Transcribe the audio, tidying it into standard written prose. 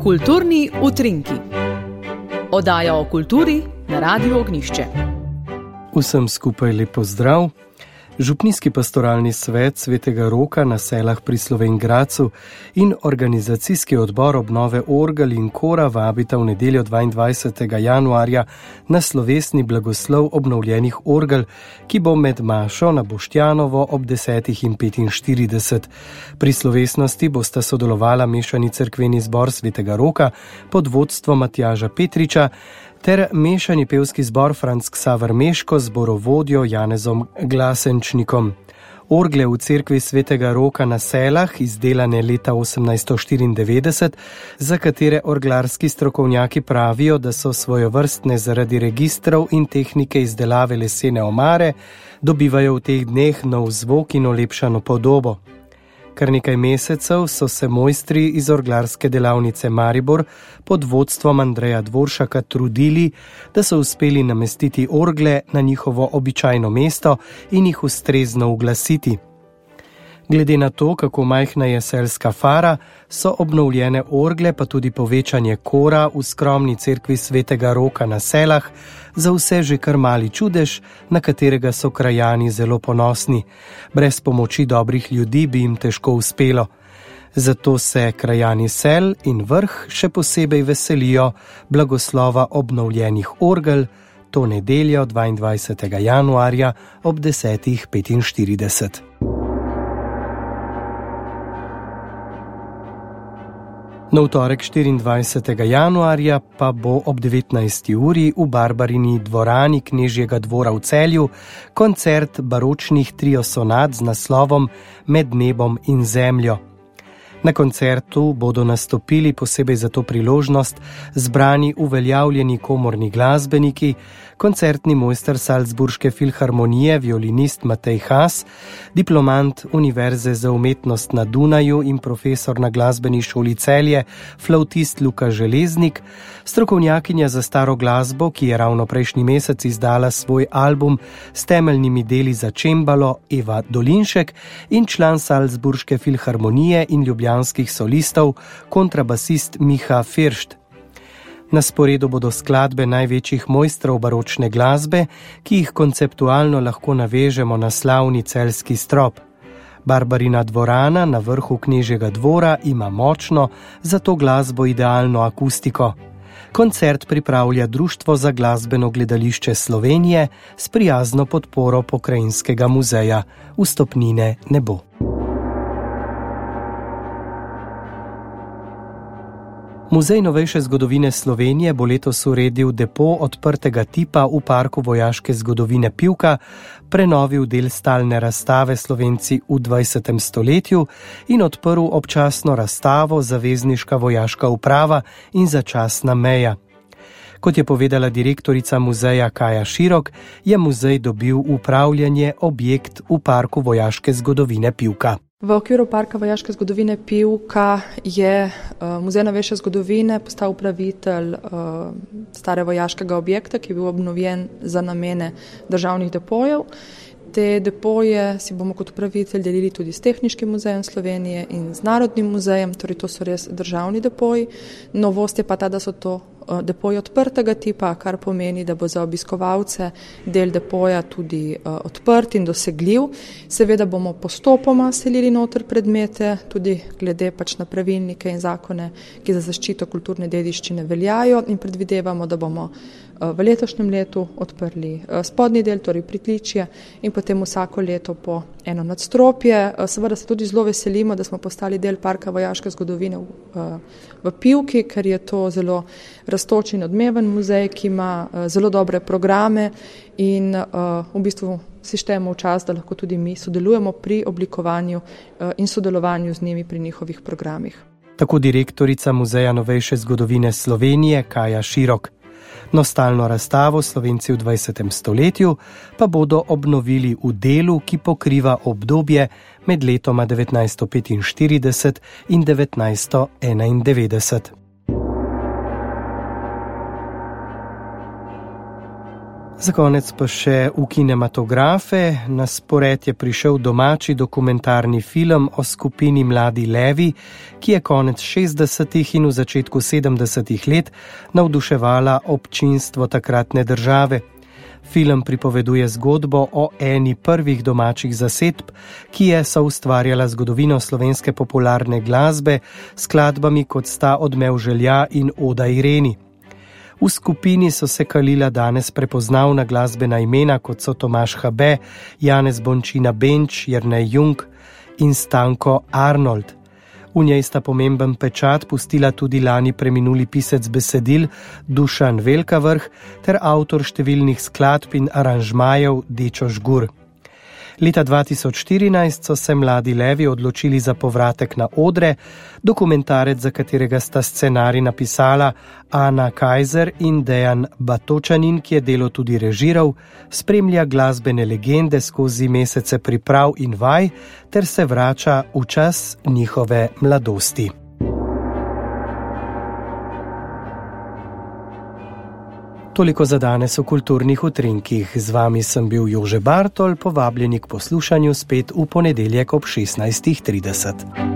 Kulturni utrinki. Oddaja o kulturi na Radiu Ognjišče. Vsem skupaj lep pozdrav. Župnijski pastoralni svet Svetega Roka na Selah pri Slovenj Gradcu in organizacijski odbor obnove orgel in kora vabita v nedeljo 22. januarja na slovesni blagoslov obnovljenih orgel, ki bo med mašo na Boštjanovo ob 10:45. Pri slovesnosti bosta sodelovala mešani cerkveni zbor Svetega Roka pod vodstvom Matjaža Petriča ter mešani pevski zbor Franc Ksaver Meško z zborovodjo Janezom Glasenčnikom. Orgle v cerkvi Svetega Roka na Selah, izdelane leta 1894, za katere orglarski strokovnjaki pravijo, da so svojevrstne zaradi registrov in tehnike izdelave lesene omare, dobivajo v teh dneh nov zvok in olepšano podobo. Kar nekaj mesecev so se mojstri iz orglarske delavnice Maribor pod vodstvom Andreja Dvoršaka trudili, da so uspeli namestiti orgle na njihovo običajno mesto in jih ustrezno uglasiti. Glede na to, kako majhna je selska fara, so obnovljene orgle pa tudi povečanje kora v skromni cerkvi Svetega Roka na Selah za vse že kar mali čudež, na katerega so krajani zelo ponosni. Brez pomoči dobrih ljudi bi jim težko uspelo. Zato se krajani Sel in Vrh še posebej veselijo blagoslova obnovljenih orgel to nedeljo 22. januarja ob 10:45. Na torek 24. januarja pa bo ob 19. uri v Barbarini dvorani Knežjega dvora v Celju koncert baročnih trio sonat z naslovom Med nebom in zemljo. Na koncertu bodo nastopili posebej za to priložnost zbrani uveljavljeni komorni glasbeniki, koncertni mojster Salzburške filharmonije, violinist Matej Has, diplomant Univerze za umetnost na Dunaju in profesor na glasbeni šoli Celje, flavtist Luka Železnik, strokovnjakinja za staro glasbo, ki je ravno prejšnji mesec izdala svoj album s temeljnimi deli za čembalo, Eva Dolinšek, in član Salzburške filharmonije in ljubljanskih solistov, kontrabasist Miha Firšt. Na sporedu bodo skladbe največjih mojstrov baročne glasbe, ki jih konceptualno lahko navežemo na slavni celjski strop. Barbarina dvorana na vrhu Knežjega dvora ima močno, za to glasbo idealno akustiko. Koncert pripravlja Društvo za glasbeno gledališče Slovenije s prijazno podporo Pokrajinskega muzeja. Vstopnine ne bo. Muzej novejše zgodovine Slovenije bo letos uredil depo odprtega tipa v parku vojaške zgodovine Pivka, prenovil del stalne razstave Slovenci v 20. stoletju in odprl občasno razstavo Zavezniška vojaška uprava in začasna meja. Kot je povedala direktorica muzeja Kaja Širok, je muzej dobil v upravljanje objekt v parku vojaške zgodovine Pivka. V okviru parka vojaške zgodovine Pivka je Muzej novejše zgodovine postal upravitelj stare vojaškega objekta, ki je bil obnovljen za namene državnih depojev. Te depoje si bomo kot upravitelj delili tudi s Tehniškim muzejem Slovenije in z Narodnim muzejem, torej to so res državni depoji. Novost je pa ta, da so to depoji odprtega tipa, kar pomeni, da bo za obiskovalce del depoja tudi odprt in dosegljiv. Seveda bomo postopoma selili noter predmete, tudi glede pač na pravilnike in zakone, ki za zaščito kulturne dediščine veljajo, in predvidevamo, da bomo v letošnjem letu odprli spodnji del, torej pritličje, in potem vsako leto po eno nadstropje. Seveda se tudi zelo veselimo, da smo postali del parka vojaške zgodovine v Pivki, ker je to zelo rastoč in odmeven muzej, ki ima zelo dobre programe in v bistvu si štejemo v čas, da lahko tudi mi sodelujemo pri oblikovanju in sodelovanju z njimi pri njihovih programih. Tako direktorica Muzeja novejše zgodovine Slovenije Kaja Širok. Nostalno razstavo Slovenci v 20. stoletju pa bodo obnovili v delu, ki pokriva obdobje med letoma 1945 in 1991. Za konec pa še v kinematografe. Na spored je prišel domači dokumentarni film o skupini Mladi levi, ki je konec 60. in v začetku 70. let navduševala občinstvo takratne države. Film pripoveduje zgodbo o eni prvih domačih zasedb, ki je soustvarjala zgodovino slovenske popularne glasbe s skladbami kot sta Odmev želja in Oda Ireni. V skupini so se kalila danes prepoznavna glasbena imena, kot so Tomaž Habe, Janez Bončina Benč, Jernej Jung in Stanko Arnold. V njej sta pomemben pečat pustila tudi lani preminuli pisec besedil Dušan Velkavrh ter avtor številnih skladb in aranžmajev Dečo Žgur. Leta 2014 so se Mladi levi odločili za povratek na odre, dokumentarec, za katerega sta scenarij napisala Ana Kajzer in Dejan Batočanin, ki je delo tudi režiral, spremlja glasbene legende skozi mesece priprav in vaj ter se vrača v čas njihove mladosti. Toliko za danes v kulturnih utrinkih. Z vami sem bil Jože Bartol, povabljeni k poslušanju spet v ponedeljek ob 16:30.